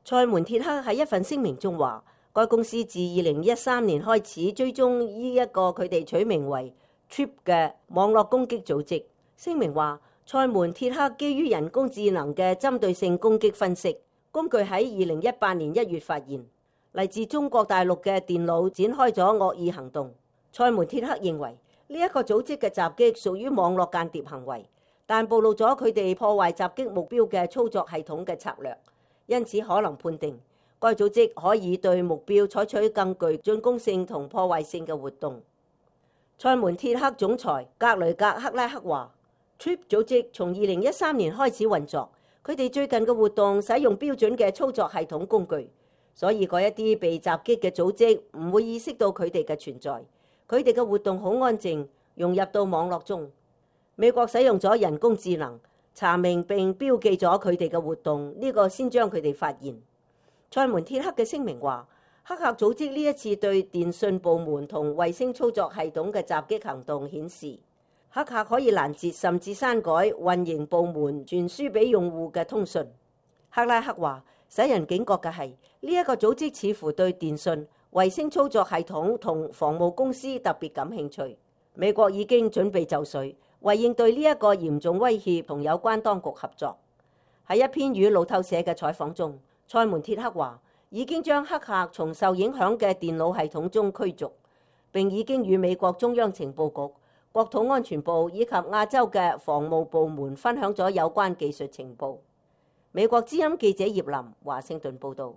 塞門鐵克喺一份聲明中話，該公司自2013年開始追蹤呢一個佢哋取名為 TRIP 嘅網絡攻擊組織。聲明話，塞門鐵克基於人工智能嘅針對性攻擊分析工具喺2018年1月發現，嚟自中國大陸嘅電腦展開咗惡意行動。塞門鐵克認為呢一個組織嘅襲擊屬於網絡間諜行為，但暴露咗佢哋破壞襲擊目標嘅操作系統嘅策略，因此可能判定該組織可以對目標採取更具進攻性同破壞性嘅活動。塞門鐵克總裁格雷格克拉克話，TRIP 組織從2013年開始運作，佢哋最近嘅活動使用標準嘅操作系統工具，所以嗰一啲被襲擊嘅組織唔會意識到佢哋嘅存在，佢哋嘅活動好安靜，融入到網絡中。美國使用咗人工智能查明並標記咗佢哋嘅活動，呢個先將佢哋發現。塞門鐵克嘅聲明話，黑客組織呢一次對電信部門同衛星操作系統嘅襲擊行動顯示，黑客可以攔截甚至刪改運營部門傳輸俾用戶嘅通訊。克拉克話，使人警覺嘅係呢一個組織似乎對電信、衛星操作系統同防務公司特別感興趣。美國已經準備就緒，為應對呢一個嚴重威脅同有關當局合作。喺一篇與路透社嘅採訪中，塞門鐵克話已經將黑客從受影響嘅電腦系統中驅逐，並已經與美國中央情報局、國土安全部以及亞洲嘅防務部門分享咗有關技術情報。美國之音記者葉林華盛頓報導。